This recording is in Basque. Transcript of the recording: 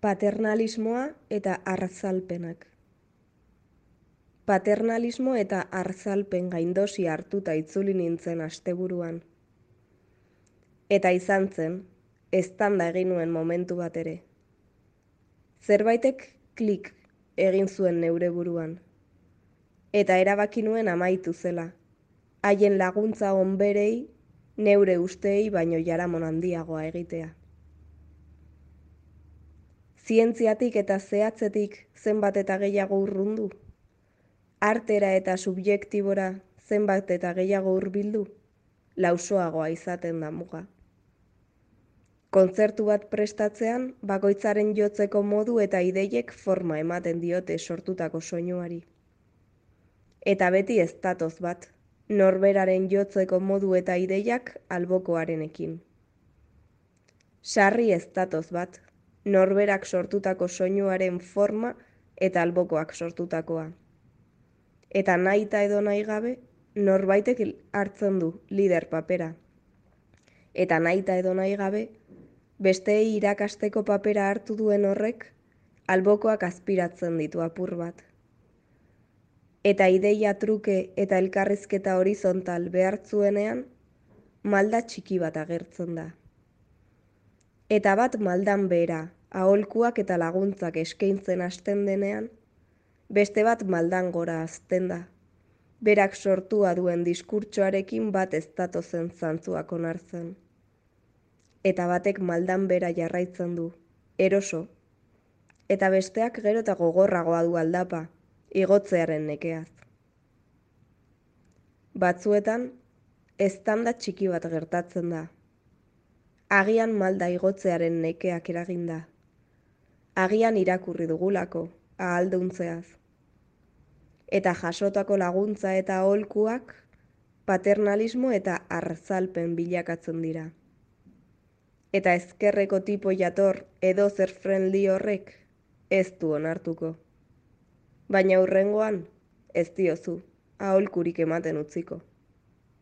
Paternalismoa eta artzalpenak. Paternalismo eta artzalpen gaindosi hartuta itzuli nintzen asteburuan. Eta izan zen, eztanda egin nuen momentu bat ere. Zerbaitek klik egin zuen neure buruan. Eta erabaki nuen amaitu zela. Haien laguntza onberei, neure usteei baino jaramon handiagoa egitea. Zientziatik eta zehatzetik zenbat eta gehiago urrundu? Artera eta subjektibora zenbat eta gehiago hurbildu? Lausoagoa izaten da muga. Kontzertu bat prestatzean, bakoitzaren jotzeko modu eta ideiek forma ematen diote sortutako soinuari. Eta beti ez datoz bat, norberaren jotzeko modu eta ideiak albokoarenekin. Sarri ez datoz bat, norberak sortutako soinuaren forma eta albokoak sortutakoa. Eta nahita edo nahi gabe, norbaitek hartzen du lider papera. Eta nahita edo nahi gabe, besteei irakasteko papera hartu duen horrek, albokoak azpiratzen ditu apur bat. Eta ideia truke eta elkarrizketa horizontal behartzuenean, malda txiki bat agertzen da. Eta bat maldan behera, aholkuak eta laguntzak eskaintzen hasten denean, beste bat maldan gora hazten da. Berak sortua duen diskurtsoarekin bat ez datozen zantzuak onartzen. Eta batek maldan bera jarraitzen du, eroso. Eta besteak gero eta gogorragoa du aldapa, igotzearen nekeaz. Batzuetan, eztanda txiki bat gertatzen da. Agian malda igotzearen nekeak eraginda. Agian irakurri dugulako, ahalduntzeaz. Eta jasotako laguntza eta aholkuak, paternalismo eta artzalpen bilakatzen dira. Eta ezkerreko tipo jator edo zer friendly horrek ez du onartuko. Baina hurrengoan ez diozu aholkurik ematen utziko.